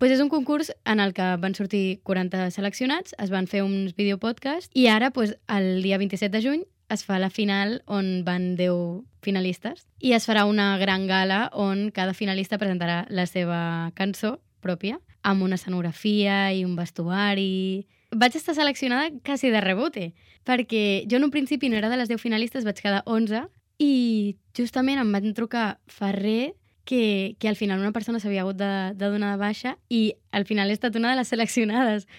Pues és un concurs en el que van sortir 40 seleccionats, es van fer uns videopodcasts i ara, pues, el dia 27 de juny, es fa la final on van 10 finalistes i es farà una gran gala on cada finalista presentarà la seva cançó pròpia amb una escenografia i un vestuari. Vaig estar seleccionada quasi de rebote, perquè jo en un principi no era de les 10 finalistes, vaig quedar 11 i justament em van trucar fa res que al final una persona s'havia hagut de donar de baixa i al final he estat una de les seleccionades.